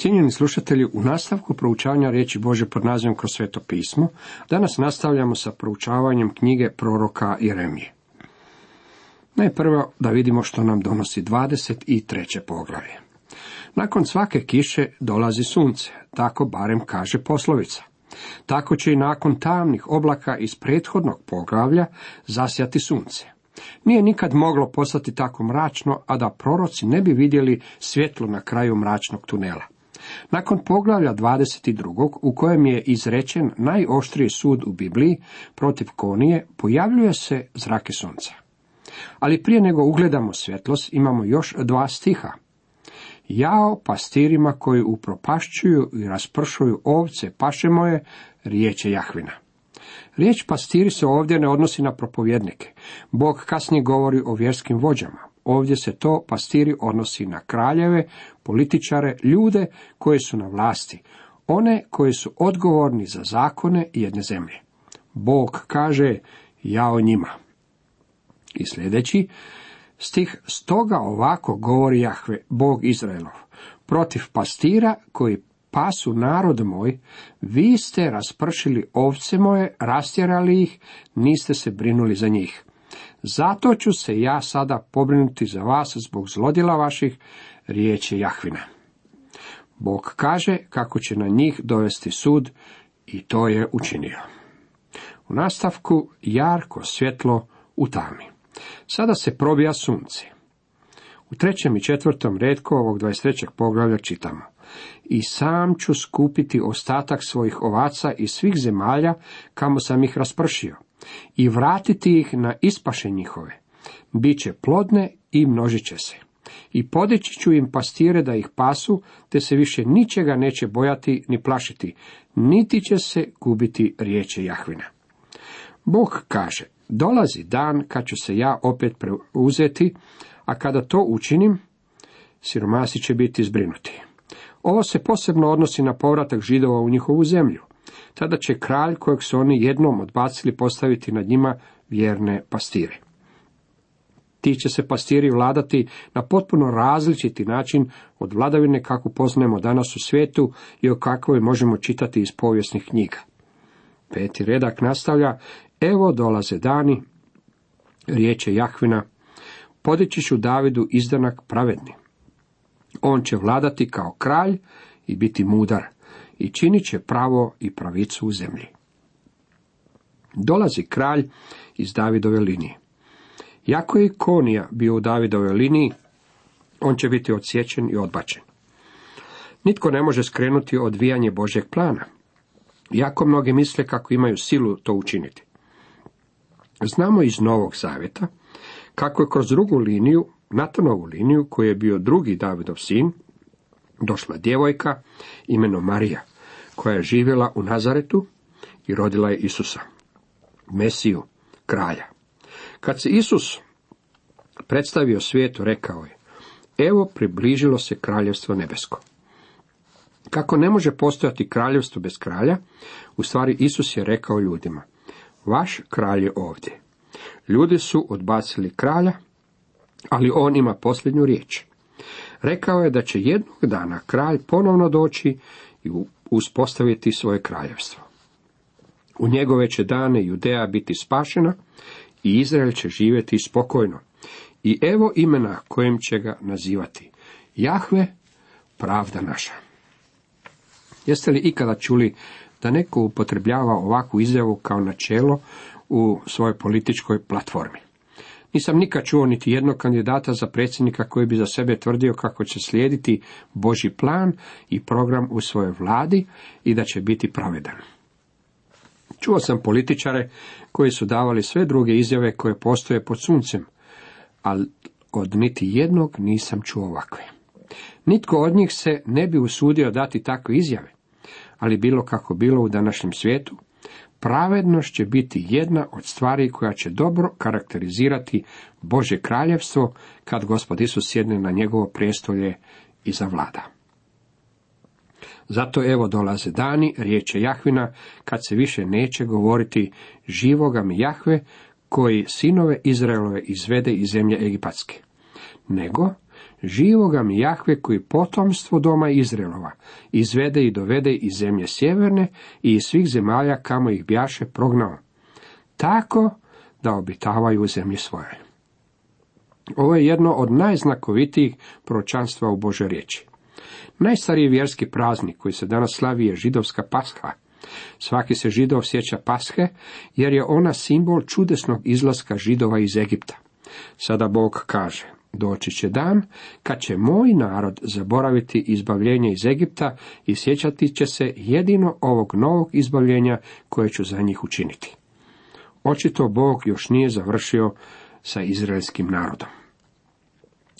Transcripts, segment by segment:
Cijenjeni slušatelji, u nastavku proučavanja riječi Božje pod nazivom Kroz sveto pismo, danas nastavljamo sa proučavanjem knjige proroka Jeremije. Najprvo da vidimo što nam donosi 23. poglavlje. Nakon svake kiše dolazi sunce, tako barem kaže poslovica. Tako će i nakon tamnih oblaka iz prethodnog poglavlja zasjati sunce. Nije nikad moglo postati tako mračno, a da proroci ne bi vidjeli svjetlo na kraju mračnog tunela. Nakon poglavlja 22. u kojem je izrečen najoštriji sud u Bibliji protiv Konije, pojavljuje se zrake sunca. Ali prije nego ugledamo svjetlost, imamo još 2 stiha. Jao pastirima koji upropašćuju i raspršuju ovce paše moje, riječ je Jahvina. Riječ pastiri se ovdje ne odnosi na propovjednike. Bog kasnije govori o vjerskim vođama. Ovdje se to pastiri odnosi na kraljeve, političare, ljude koji su na vlasti, one koji su odgovorni za zakone jedne zemlje. Bog kaže, jao njima. I sljedeći stih, stoga ovako govori Jahve, Bog Izraelov, protiv pastira koji pasu narod moj, vi ste raspršili ovce moje, rastjerali ih, niste se brinuli za njih. Zato ću se ja sada pobrinuti za vas zbog zlodjela vaših, riječ je Jahvina. Bog kaže kako će na njih dovesti sud i to je učinio. U nastavku jarko svjetlo u tami. Sada se probija sunce. U 3. i 4. retku ovog 23. poglavlja čitamo. I sam ću skupiti ostatak svojih ovaca iz svih zemalja kamo sam ih raspršio i vratiti ih na ispaše njihove. Biće plodne i množit će se. I podići ću im pastire da ih pasu, te se više ničega neće bojati ni plašiti, niti će se gubiti, riječe Jahvina. Bog kaže, dolazi dan kad ću se ja opet preuzeti, a kada to učinim, siromasi će biti zbrinuti. Ovo se posebno odnosi na povratak Židova u njihovu zemlju. Tada će kralj kojeg su oni jednom odbacili postaviti nad njima vjerne pastire. Ti će se pastiri vladati na potpuno različiti način od vladavine kakvu poznajemo danas u svijetu i o kakvoj možemo čitati iz povijesnih knjiga. 5. redak nastavlja, evo dolaze dani, riječ je Jahvina, podići ću Davidu izdanak pravedni. On će vladati kao kralj i biti mudar i činit će pravo i pravicu u zemlji. Dolazi kralj iz Davidove linije. Jako je Konija bio u Davidovoj liniji, on će biti odsječen i odbačen. Nitko ne može skrenuti odvijanje Božjeg plana. Jako mnogi misle kako imaju silu to učiniti. Znamo iz Novog Zavjeta kako je kroz drugu liniju, Natanovu liniju, koji je bio drugi Davidov sin, došla djevojka imenom Marija, koja je živjela u Nazaretu i rodila je Isusa, Mesiju, kralja. Kad se Isus predstavio svijetu, rekao je, evo približilo se kraljevstvo nebesko. Kako ne može postojati kraljevstvo bez kralja, u stvari Isus je rekao ljudima, vaš kralj je ovdje. Ljudi su odbacili kralja, ali on ima posljednju riječ. Rekao je da će jednog dana kralj ponovno doći i uspostaviti svoje kraljevstvo. U njegove će dane Judeja biti spašena i Izrael će živjeti spokojno. I evo imena kojim će ga nazivati. Jahve, pravda naša. Jeste li ikada čuli da neko upotrebljava ovakvu izjavu kao načelo u svojoj političkoj platformi? Nisam nikad čuo niti jednog kandidata za predsjednika koji bi za sebe tvrdio kako će slijediti Božji plan i program u svojoj vladi i da će biti pravedan. Čuo sam političare koji su davali sve druge izjave koje postoje pod suncem, ali od niti jednog nisam čuo ovakve. Nitko od njih se ne bi usudio dati takve izjave, ali bilo kako bilo u današnjem svijetu, pravednost će biti jedna od stvari koja će dobro karakterizirati Božje kraljevstvo kad Gospod Isus sjedne na njegovo prijestolje i zavlada. Zato evo dolaze dani, riječ je Jahvina, kad se više neće govoriti živoga mi Jahve, koji sinove Izraelove izvede iz zemlje egipatske, nego živoga mi Jahve koji potomstvo doma Izraelova izvede i dovede iz zemlje sjeverne i iz svih zemalja kamo ih bjaše prognao, tako da obitavaju u zemlji svoje. Ovo je jedno od najznakovitijih proročanstva u Božoj riječi. Najstariji vjerski praznik koji se danas slavi je židovska Pasha. Svaki se Židov sjeća Pashe, jer je ona simbol čudesnog izlaska Židova iz Egipta. Sada Bog kaže, doći će dan kad će moj narod zaboraviti izbavljenje iz Egipta i sjećati će se jedino ovog novog izbavljenja koje ću za njih učiniti. Očito Bog još nije završio sa izraelskim narodom.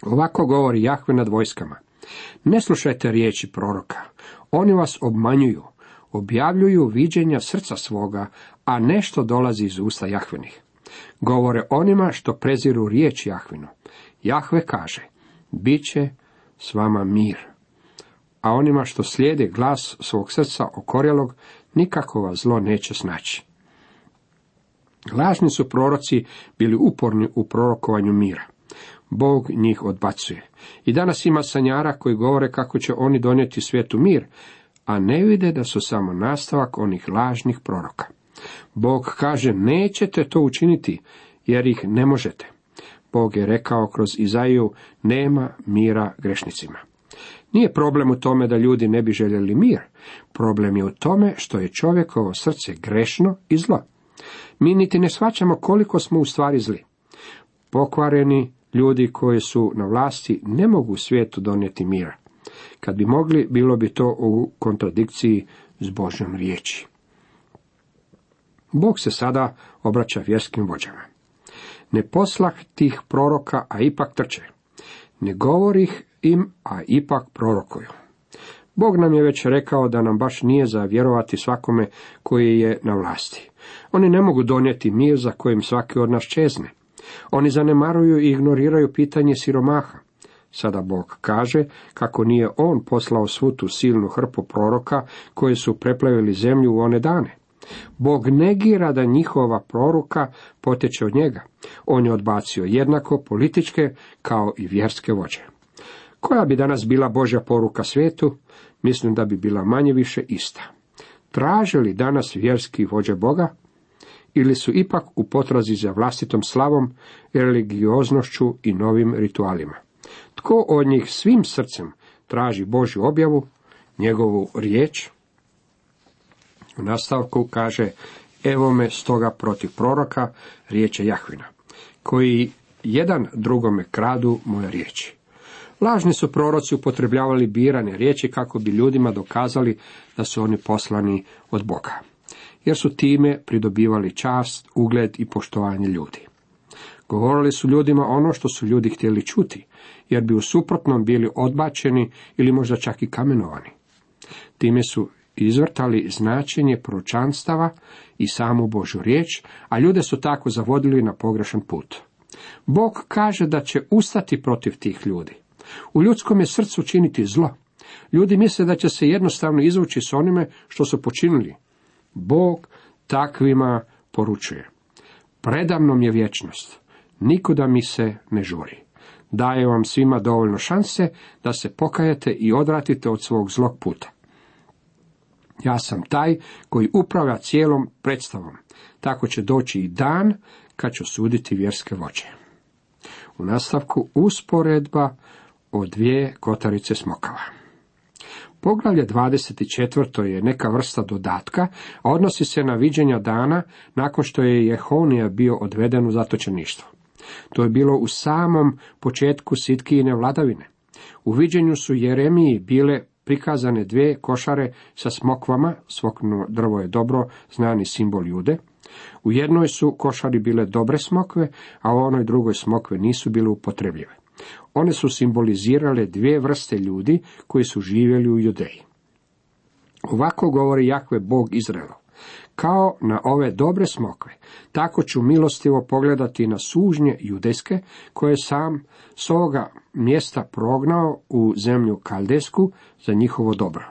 Ovako govori Jahve nad vojskama. Ne slušajte riječi proroka, oni vas obmanjuju, objavljuju viđenja srca svoga, a nešto dolazi iz usta Jahvenih. Govore onima što preziru riječ Jahvinu. Jahve kaže, bit će s vama mir. A onima što slijede glas svog srca okorjelog, nikako vas zlo neće snaći. Lažni su proroci bili uporni u prorokovanju mira. Bog njih odbacuje. I danas ima sanjara koji govore kako će oni donijeti svijetu mir, a ne vide da su samo nastavak onih lažnih proroka. Bog kaže, nećete to učiniti, jer ih ne možete. Bog je rekao kroz Izaiju, nema mira grešnicima. Nije problem u tome da ljudi ne bi željeli mir. Problem je u tome što je čovjekovo srce grešno i zlo. Mi niti ne shvaćamo koliko smo u stvari zli. Pokvareni ljudi koji su na vlasti ne mogu svijetu donijeti mira. Kad bi mogli, bilo bi to u kontradikciji s Božjom riječi. Bog se sada obraća vjerskim vođama. Ne poslah tih proroka, a ipak trče. Ne govorih im, a ipak prorokuju. Bog nam je već rekao da nam baš nije za vjerovati svakome koji je na vlasti. Oni ne mogu donijeti mir za kojim svaki od nas čezne. Oni zanemaruju i ignoriraju pitanje siromaha. Sada Bog kaže kako nije on poslao svu tu silnu hrpu proroka koji su preplavili zemlju u one dane. Bog negira da njihova proroka potječe od njega. On je odbacio jednako političke kao i vjerske vođe. Koja bi danas bila Božja poruka svijetu? Mislim da bi bila manje-više ista. Traže li danas vjerski vođe Boga? Ili su ipak u potrazi za vlastitom slavom, religioznošću i novim ritualima? Tko od njih svim srcem traži Božju objavu, njegovu riječ? U nastavku kaže, evo me stoga protiv proroka, riječ je Jahvina, koji jedan drugome kradu moje riječi. Lažni su proroci upotrebljavali birane riječi kako bi ljudima dokazali da su oni poslani od Boga, jer su time pridobivali čast, ugled i poštovanje ljudi. Govorili su ljudima ono što su ljudi htjeli čuti, jer bi u suprotnom bili odbačeni ili možda čak i kamenovani. Time su izvrtali značenje proročanstava i samu Božju riječ, a ljude su tako zavodili na pogrešan put. Bog kaže da će ustati protiv tih ljudi. U ljudskom je srcu činiti zlo. Ljudi misle da će se jednostavno izvući s onime što su počinili. Bog takvima poručuje. Predamnom je vječnost. Nikuda mi se ne žuri. Daje vam svima dovoljno šanse da se pokajete i odvratite od svog zlog puta. Ja sam taj koji upravlja cijelom predstavom. Tako će doći i dan kad ću suditi vjerske vođe. U nastavku usporedba o dvije kotarice smokava. Poglavlje 24. je neka vrsta dodatka, a odnosi se na viđenja dana nakon što je Jehonija bio odveden u zatočeništvo. To je bilo u samom početku Sitkijine vladavine. U viđenju su Jeremiji bile prikazane dvije košare sa smokvama, smokvino drvo je dobro znani simbol Jude. U jednoj su košari bile dobre smokve, a u onoj drugoj smokve nisu bile upotrebljive. One su simbolizirale dvije vrste ljudi koji su živjeli u Judeji. Ovako govori Jahve Bog Izraelov. Kao na ove dobre smokve, tako ću milostivo pogledati na sužnje judejske, koje sam s ovoga mjesta prognao u zemlju Kaldesku za njihovo dobro.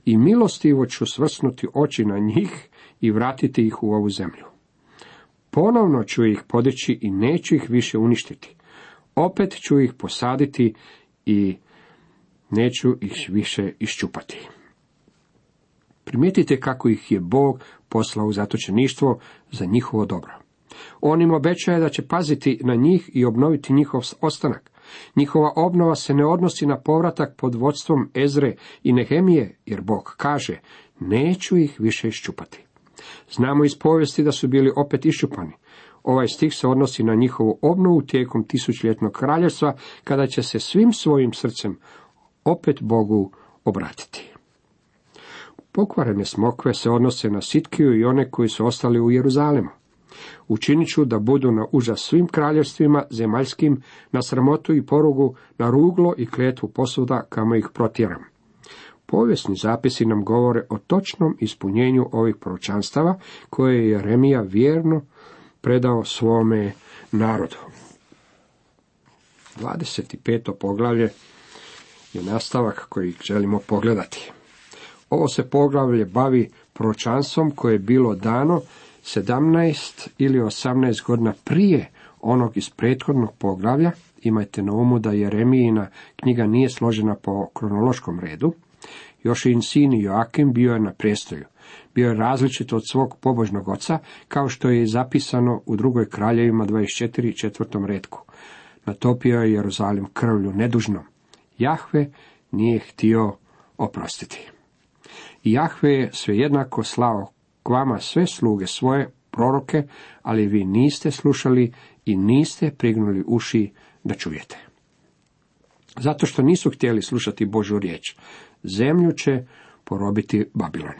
I milostivo ću svrsnuti oči na njih i vratiti ih u ovu zemlju. Ponovno ću ih podići i neću ih više uništiti. Opet ću ih posaditi i neću ih više iščupati. Primijetite kako ih je Bog poslao u zatočeništvo za njihovo dobro. On im obećaje da će paziti na njih i obnoviti njihov ostanak. Njihova obnova se ne odnosi na povratak pod vodstvom Ezre i Nehemije, jer Bog kaže, neću ih više iščupati. Znamo iz povijesti da su bili opet iščupani. Ovaj stih se odnosi na njihovu obnovu tijekom tisućljetnog kraljevstva, kada će se svim svojim srcem opet Bogu obratiti. Pokvarene smokve se odnose na Sitkiju i one koji su ostali u Jeruzalemu. Učinit ću da budu na užas svim kraljevstvima zemaljskim, na sramotu i porugu, na ruglo i kletvu posuda kamo ih protjeram. Povijesni zapisi nam govore o točnom ispunjenju ovih proročanstava koje je Jeremija vjerno predao svome narodu. 25. poglavlje je nastavak koji želimo pogledati. Ovo se poglavlje bavi proročanstvom koje je bilo dano 17 ili 18 godina prije onog iz prethodnog poglavlja. Imajte na umu da Jeremijina knjiga nije složena po kronološkom redu. Jošin sin Joakim bio je na prijestolju. Bio je različit od svog pobožnog oca, kao što je zapisano u 2. Kraljevima 24. 4. retku. Natopio je Jeruzalim krvlju nedužnom. Jahve nije htio oprostiti. I Jahve je svejednako slao k vama sve sluge svoje, proroke, ali vi niste slušali i niste prignuli uši da čujete. Zato što nisu htjeli slušati Božju riječ, zemlju će porobiti Babilon.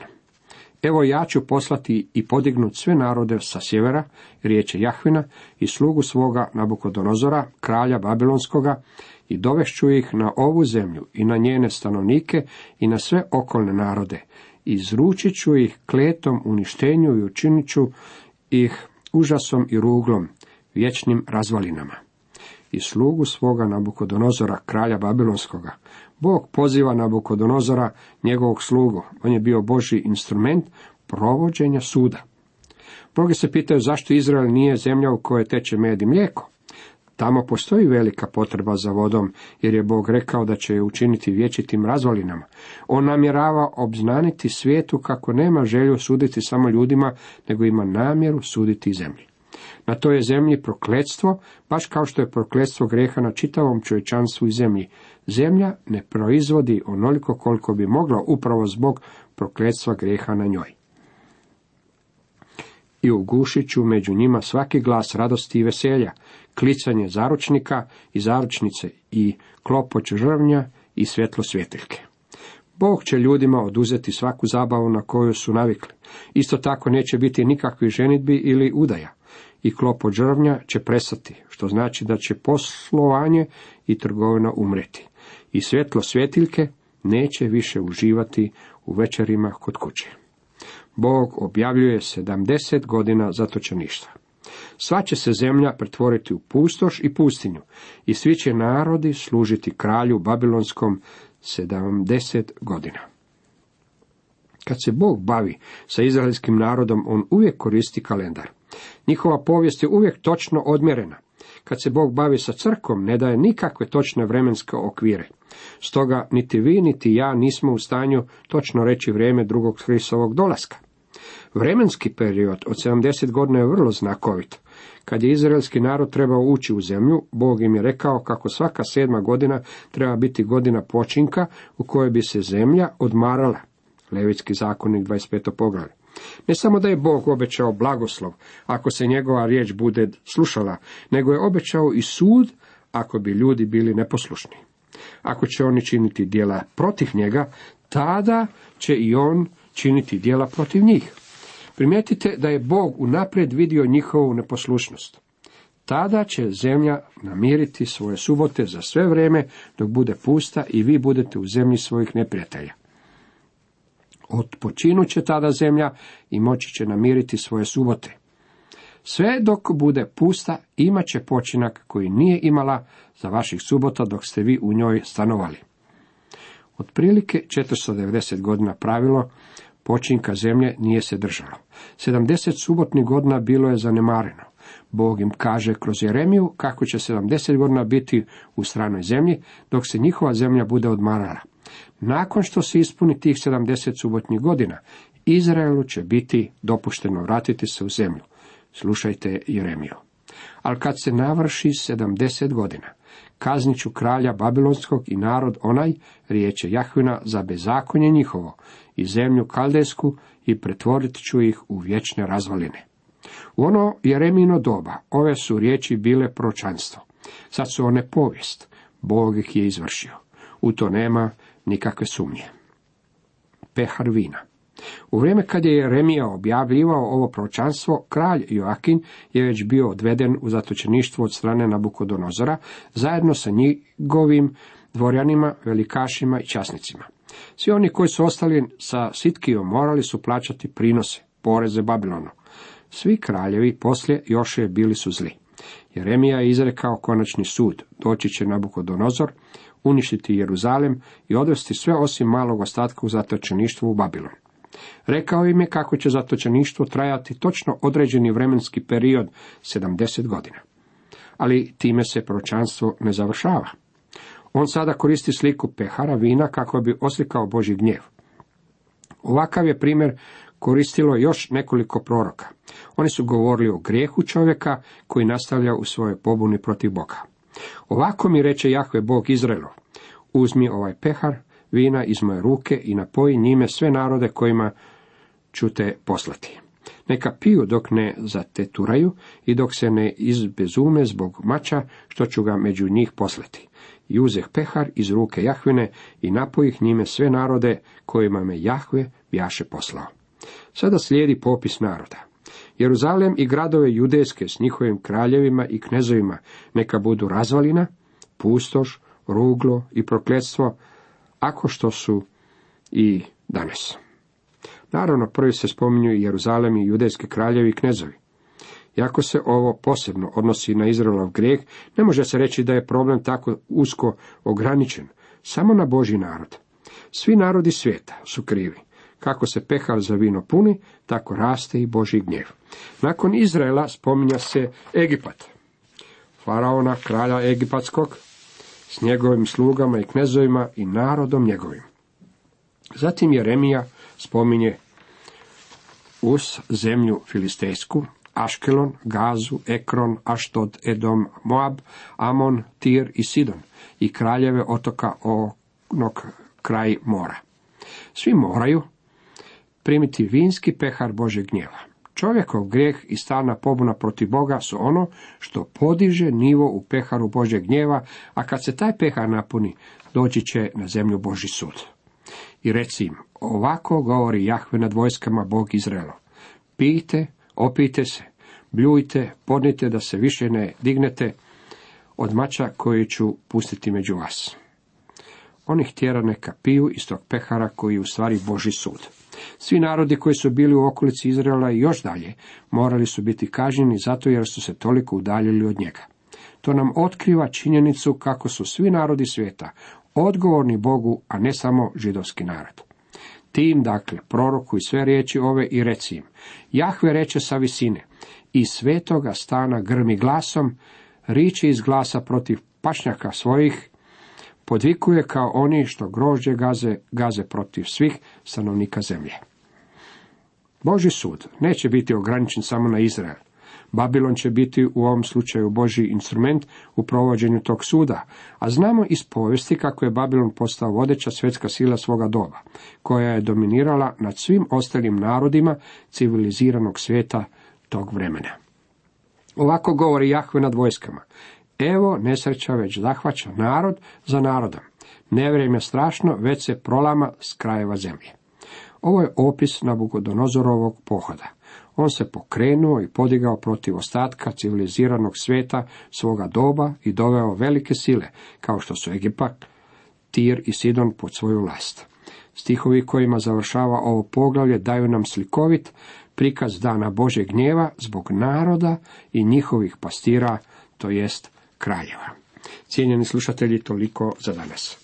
Evo ja ću poslati i podignuti sve narode sa sjevera, riječ je Jahvina, i slugu svoga Nabukodonozora, kralja Babilonskoga, i dovešću ih na ovu zemlju i na njene stanovnike i na sve okolne narode. Izručit ću ih kletom uništenju i učinit ću ih užasom i ruglom, vječnim razvalinama. I slugu svoga Nabukodonozora, kralja Babilonskoga. Bog poziva Nabukodonozora, njegovog slugu. On je bio Božji instrument provođenja suda. Mnogi se pitaju zašto Izrael nije zemlja u kojoj teče med i mlijeko. Tamo postoji velika potreba za vodom, jer je Bog rekao da će je učiniti vječitim razvalinama. On namjerava obznaniti svijetu kako nema želju suditi samo ljudima, nego ima namjeru suditi i zemlji. Na toj je zemlji prokletstvo, baš kao što je prokletstvo grijeha na čitavom čovječanstvu i zemlji. Zemlja ne proizvodi onoliko koliko bi mogla upravo zbog prokletstva grijeha na njoj. I ugušit ću među njima svaki glas radosti i veselja, klicanje zaručnika i zaručnice i klopoć žrvnja i svjetlo svjetiljke. Bog će ljudima oduzeti svaku zabavu na koju su navikli. Isto tako neće biti nikakvih ženidbi ili udaja. I klopoć žrvnja će prestati, što znači da će poslovanje i trgovina umreti. I svjetlo svjetiljke neće više uživati u večerima kod kuće. Bog objavljuje 70 godina zatočeništva. Sva će se zemlja pretvoriti u pustoš i pustinju, i svi će narodi služiti kralju Babilonskom 70 godina. Kad se Bog bavi sa izraelskim narodom, on uvijek koristi kalendar. Njihova povijest je uvijek točno odmjerena. Kad se Bog bavi sa crkvom, ne daje nikakve točne vremenske okvire. Stoga niti vi, niti ja nismo u stanju točno reći vrijeme drugog Hristovog dolaska. Vremenski period od 70 godina je vrlo znakovit. Kad je izraelski narod trebao ući u zemlju, Bog im je rekao kako svaka 7. godina treba biti godina počinka u kojoj bi se zemlja odmarala. Levitski zakonik 25. poglavlje. Ne samo da je Bog obećao blagoslov ako se njegova riječ bude slušala, nego je obećao i sud ako bi ljudi bili neposlušni. Ako će oni činiti djela protiv njega, tada će i on činiti djela protiv njih. Primijetite da je Bog unaprijed vidio njihovu neposlušnost. Tada će zemlja namiriti svoje subote za sve vrijeme dok bude pusta i vi budete u zemlji svojih neprijatelja. Odpočinut će tada zemlja i moći će namiriti svoje subote. Sve dok bude pusta, imat će počinak koji nije imala za vaših subota dok ste vi u njoj stanovali. Otprilike 490 godina pravilo počinka zemlje nije se držalo. 70 subotnih godina bilo je zanemareno. Bog im kaže kroz Jeremiju kako će 70 godina biti u stranoj zemlji, dok se njihova zemlja bude odmarala. Nakon što se ispuni tih 70 subotnih godina, Izraelu će biti dopušteno vratiti se u zemlju. Slušajte Jeremiju. Ali kad se navrši 70 godina, kaznit ću kralja Babilonskog i narod onaj, riječ je Jahvina, za bezakonje njihovo i zemlju kaldejsku i pretvorit ću ih u vječne razvaline. U ono Jeremino doba ove su riječi bile proročanstvo. Sad su one povijest. Bog ih je izvršio. U to nema nikakve sumnje. Pehar vina. U vrijeme kad je Jeremija objavljivao ovo proročanstvo, kralj Joakin je već bio odveden u zatočeništvo od strane Nabukodonozora, zajedno sa njegovim dvorjanima, velikašima i časnicima. Svi oni koji su ostali sa Sitkijom morali su plaćati prinose, poreze Babilonu. Svi kraljevi poslije Jošije bili su zli. Jeremija je izrekao konačni sud. Doći će Nabukodonozor, uništiti Jeruzalem i odvesti sve osim malog ostatka u zatočeništvo u Babilon. Rekao im je kako će zatočeništvo trajati točno određeni vremenski period 70 godina. Ali time se proročanstvo ne završava. On sada koristi sliku pehara vina kako bi oslikao Božji gnjev. Ovakav je primjer koristilo još nekoliko proroka. Oni su govorili o grijehu čovjeka koji nastavlja u svojoj pobuni protiv Boga. Ovako mi reče Jahve Bog Izraelov: uzmi ovaj pehar vina iz moje ruke i napoji njime sve narode kojima ću te poslati. Neka piju dok ne zateturaju i dok se ne izbezume zbog mača što ću ga među njih poslati. I uzeh pehar iz ruke Jahvine i napojih njime sve narode kojima me Jahve bjaše poslao. Sada slijedi popis naroda. Jeruzalem i gradove judejske s njihovim kraljevima i knezovima neka budu razvalina, pustoš, ruglo i prokletstvo, ako što su i danas. Naravno, prvi se spominju i Jeruzalem i judejski kraljevi i knezovi. Iako se ovo posebno odnosi na Izraelov grijeh, ne može se reći da je problem tako usko ograničen, samo na Božji narod. Svi narodi svijeta su krivi. Kako se pehar za vino puni, tako raste i Božji gnjev. Nakon Izraela spominja se Egipat, faraona, kralja egipatskog, s njegovim slugama i knezovima i narodom njegovim. Zatim Jeremija spominje Us, zemlju filistejsku, Aškelon, Gazu, Ekron, Aštod, Edom, Moab, Amon, Tir i Sidon i kraljeve otoka onog kraj mora. Svi moraju primiti vinski pehar Božjeg gnjeva. Čovjekov grijeh i stalna pobuna protiv Boga su ono što podiže nivo u peharu Božjeg gnjeva, a kad se taj pehar napuni, doći će na zemlju Božji sud. I reci im, ovako govori Jahve nad vojskama Bog Izraelov: pijte, opijte se, bljujte, podnite da se više ne dignete od mača koji ću pustiti među vas. On ih tjera neka piju iz tog pehara koji je u stvari Božji sud. Svi narodi koji su bili u okolici Izraela i još dalje morali su biti kažnjeni zato jer su se toliko udaljili od njega. To nam otkriva činjenicu kako su svi narodi svijeta odgovorni Bogu, a ne samo židovski narod. Tim, dakle, prorokuj sve riječi ove i reci im: Jahve reče sa visine, iz svetoga stana grmi glasom, riči iz glasa protiv pašnjaka svojih, podvikuje kao oni što grožđe gaze protiv svih stanovnika zemlje. Božji sud neće biti ograničen samo na Izrael. Babilon će biti u ovom slučaju Božji instrument u provođenju tog suda, a znamo iz povijesti kako je Babilon postao vodeća svjetska sila svoga doba, koja je dominirala nad svim ostalim narodima civiliziranog svijeta tog vremena. Ovako govori Jahve nad vojskama: evo, nesreća već zahvaća narod za narodom. Nevrijeme strašno već se prolama s krajeva zemlje. Ovo je opis Nabukodonozorovog pohoda. On se pokrenuo i podigao protiv ostatka civiliziranog svijeta svoga doba i doveo velike sile, kao što su Egipat, Tir i Sidon, pod svoju vlast. Stihovi kojima završava ovo poglavlje daju nam slikovit prikaz dana Božjeg gnjeva zbog naroda i njihovih pastira, to jest kraljeva. Cijenjeni slušatelji, toliko za danas.